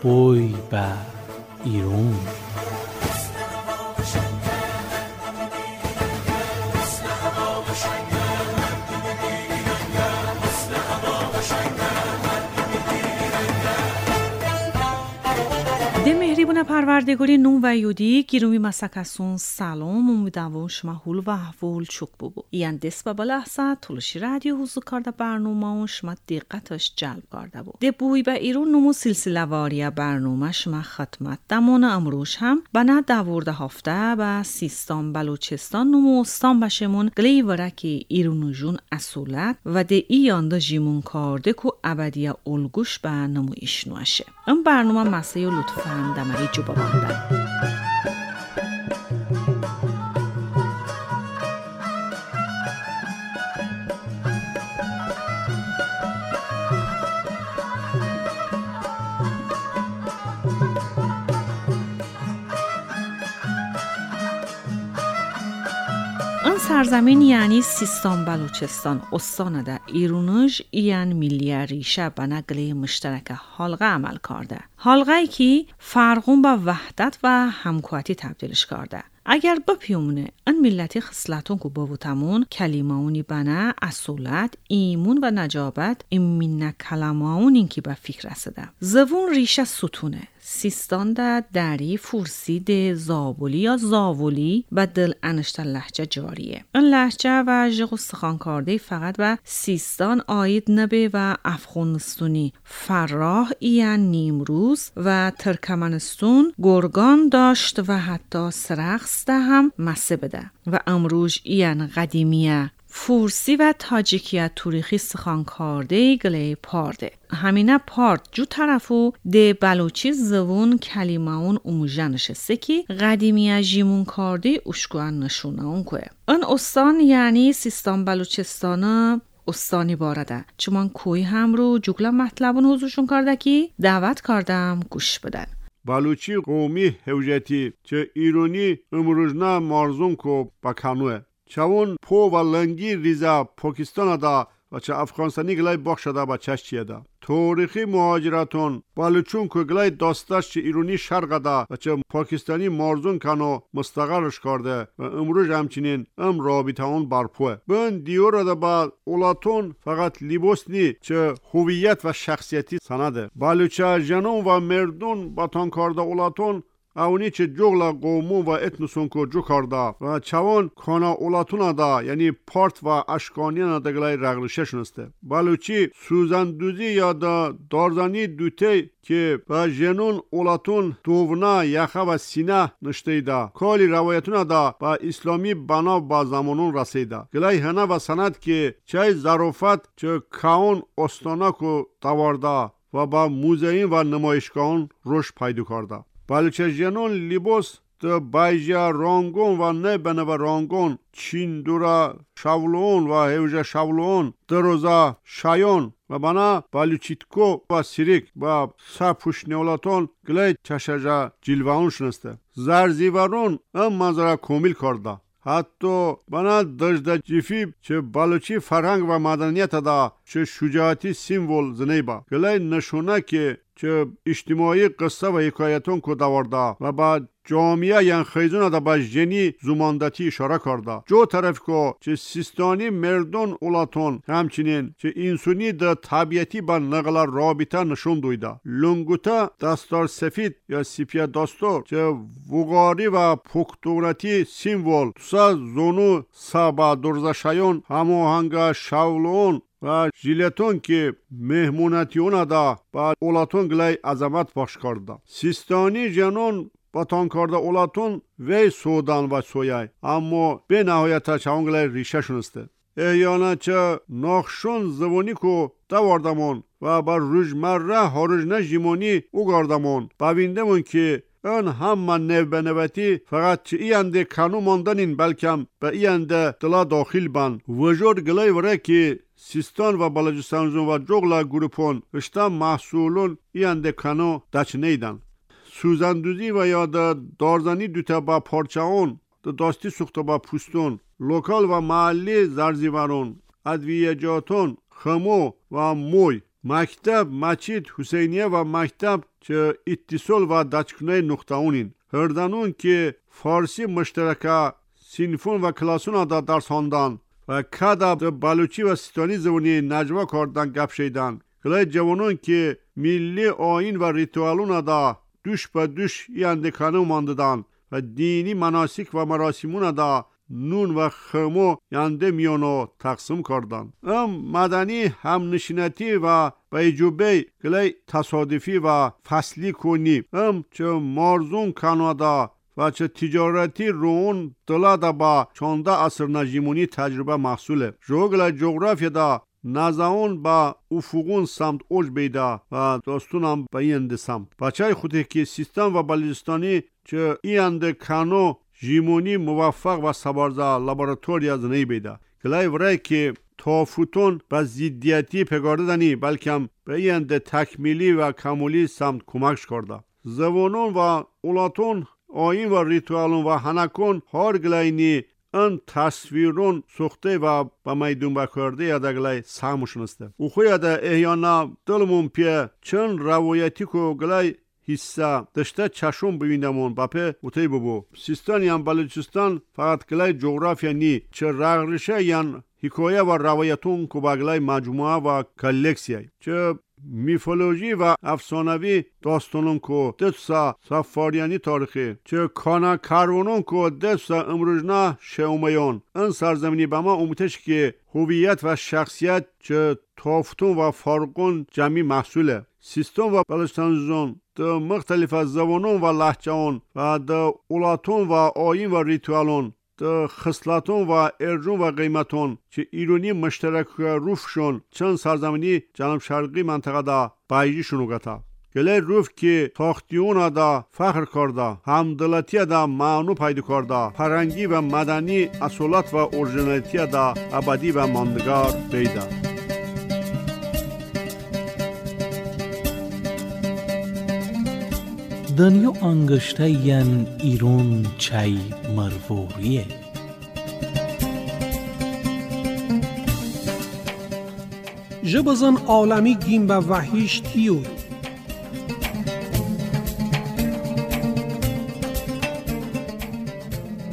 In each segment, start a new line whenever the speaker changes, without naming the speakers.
بوی با ایرون
مهریبون پروردگاری نون و یودی گیرومی مسکسون سلام امیدوارم شما حول و احوال چوک ببو. ایان دست بابا لحظه طولشی رادیو حضور کرده برنامه و شما دقتش جلب کرده بو. ده بوی با ایرون نمو سلسله واریه برنامه شما خدمت دمان امروش هم بنا 12 هفته با سیستان بلوچستان نمو استان بشمون گلی ورکی ایرونو جون اصولت و ده ایان ده جیمون کرده که ابدیه الگوش به نمو ایشنوشه. این برنامه مسیح لطفاً دمری جو بابانده. سرزمین یعنی سیستان بلوچستان استان ده ایرونوش ایان ملی ریشه به نقل مشترک حلقه عمل کرده. حلقه که فرقون با وحدت و همکاری تبدیلش کرده. اگر بپیومونه این ملتی خصلتون که بابوتمون کلمه‌اونی بنا اصولت ایمون و نجابت این منه کلمه‌اون این که به فکر رسیده. زبون ریشه ستونه. سیستان ده دری فورسی ده زابولی یا زاولی و دل انشتا لهجه جاریه. این لهجه و ژغ و سخان کرده فقط به سیستان آید نبه و افغانستونی فراه ایان نیمروز و ترکمنستون گرگان داشت و حتی سرخس ده هم مسه بده و امروز ایان قدیمیه فورسی و تاجیکیه توریخی سخان کرده گله پارده. همینه پارد جو طرفو ده بلوچی زبون کلمه اون اموژه نشسته که قدیمیه جیمون کرده اشکوان نشونه اون که. این استان یعنی سیستان بلوچستان استانی بارده. چون کوی هم رو جگله مطلبون حضورشون کرده که دعوت کردم گوش بدن.
بلوچی قومی هوجتی چه ایرونی امروزنا مارزون کو بکانوه. چون پو و لنگی ریزا پاکستان دا و چه افغانستانی گلای بخش دا با چشتیه دا. تاریخی مهاجرتون بلوچون که گلای داستاش چه ایرونی شرق دا و چه پاکستانی مارزون کنو مستقرش کرده و امروز همچنین ام رابطه اون برپوه. بن دیور دا با اولاتون فقط لباس نی چه هویت و شخصیتی سنده. بلوچه جنون و مردون باتان کرده اولاتون اونی چه جغلا قومون و اتنسون که جو کرده و چوان کانا اولاتون دا یعنی پارت و اشکانیان دا گلای رغلشه شنسته. بلوچی سوزندوزی یا دا دارزانی دوته که و جنون اولاتون دوونا یخه و سینه نشته دا کالی روایتون دا با اسلامی بنا با زمانون رسیده. گلای هنه و سند که چه ظرافت چه کاون استانا که دوارده و با موزهین و نمایشگاهون روش پیدا کرده. بلوچه جنون لباس ده بایجا رانگون و نه و رانگون چیندورا شاولون و هوجه شاولون دروزا شایون و بنا بلوچیتکو و سیریک و سپوش نیولاتون گلی چشجا جلوان شنسته. زرزیورون ام منظره کمیل کرده. حتی بنا دجده جفی چه بلوچی فرهنگ و مدنیت دا چه شجاعتی سیمبول زنیبا. گلی نشونه که چه اجتماعی قصه و حکایتون که دوارده و با جامعه یعنی خیزون دا با جنی زماندتی اشاره کرده. جو طرف که چه سیستانی مردون اولاتون همچنین چه انسانی دا طبیعتی با نقل رابطه نشون دویده. لنگوتا دستار سفید یا سیپیا دستار چه وقاری و پکتورتی سیمبول سا زونو سابا درزا شایون هماهنگ شاولون و ژیلتون که مهمونتیون دا با اولاتون گلای عظمت بخش کرده. سیستانی جنون باتان کرده اولاتون وی سودان و سویای اما به نهایت چون گلای ریشه شنسته. احیانا چه ناخشون زبونی که دواردمون و با روزمره هارجنه جیمونی او گاردمون ببیندمون که ön hamma nevbeneveti fakat çi iyende kanu mondanin belkem be iyende dıla daxil ban. Vajor gılay vere ki Sistan ve Balochistan ve Cogla grupon işte mahsulun iyende kanu daçneydan. Suzanduzi ve ya da darzani düte ba parçaon da dasti suxta ba pustun. لوکال و محلی زرزیورون ادویجاتون خمو و موی مکتب مسجد حسینیه و مکتب چه اتصال و دچکنه نقطه‌اونین هردانون که فارسی مشترکه سینفون و کلاسون دا درس هاندان و کدا بلوچی و سیستانی زبونی نجوا کردن گپ شیدن گلای جوانون که milli ayin و ritüeluna da düş be düş yandıkanı mandıdan و دینی مناسک و مراسمون da نون و خمو ینده میانو تقسیم کردن. ام مدنی هم نشینتی و بیجوبی گلی تصادفی و فصلی کنی ام چه مارزون کانادا و چه تجارتی رون دلا da با 14 asır نجیمونی تجربه محصوله. جوگل جغرافیادا نزاون با افقون سمت اوج بیدا و داستونم به اینده سمت. بچه خوده که سیستان و بلوچستانی چه اینده کانو جیمونی موفق و سبارزا لابراتوریا زنی بیدا. گلای ورای که تافوتون به زیدیتی پگارده دنی بلکه به اینده تکمیلی و کمولی سمت کمکش کرده. زبانون و اولاتون آین و ریتوالون و هنکون هر گلاینی ان تصویرون سوخته و به میدون بکرده یا گلای ساموشون است. او خویا دا احیانا دلمون پیه چون روایتی کو گلای حصه دشته چشم ببیندمون باپه اوتی ببو. سیستان یان بلوچستان فقط گلای جغرافیا نی چه رغرشه یان حکایه و روایتون کو با گلای مجموعه و کلکسیای چه میفولوژی و افسانوی داستانون کو دسا سفاریانی تاریخی چه کانا کارونون کو دسا امروزنا شومیون این سرزمینی به ما امتش که هویت و شخصیت چه تافتون و فرقون جمعی محصوله. سیستان و بلوچستان د مختلف زبانون و لهجهون و د اولاتون و آیین و ریتوالون د خصلتون و ارجون و قیمتون که ایرانی مشترک روفشون چند سرزمینی جنوب شرقی منطقه دا بایجیشونو قطع. گله روف که تاختیون دا فخر کرده، همدلتی دا معنو پیدا کرده، فرنگی و مدنی اصالت و اورجینالیتی دا ابدی و ماندگار بیده.
دنیا انگشته ین ایرون چای مروریه.
جبزن عالمی گیم به وحیش تیور.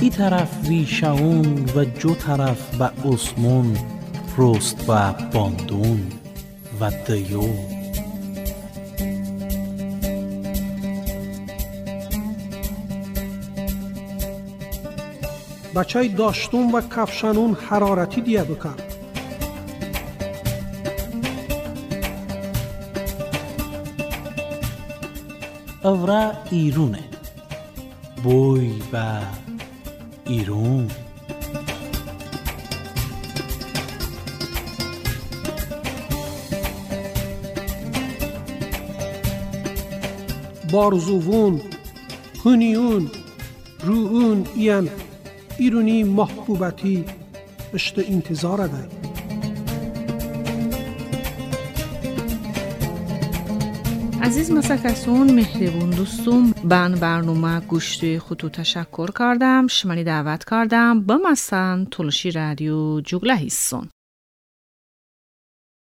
ای طرف ویشاون و جو طرف به عثمون رست و باندون و دیو.
بچه داشتون و کفشانون حرارتی دیه بکرد.
اورا ایرونه بوی با ایرون.
بارزوون هنیون روون این ایرونی محبوبتی اشت انتظار ده.
عزیز مسکسون مهربون دوستم بن برنامه گوشتی خودتو تشکر کردم شمالی دعوت کردم با مسن تولشی رادیو جوگله هیسون.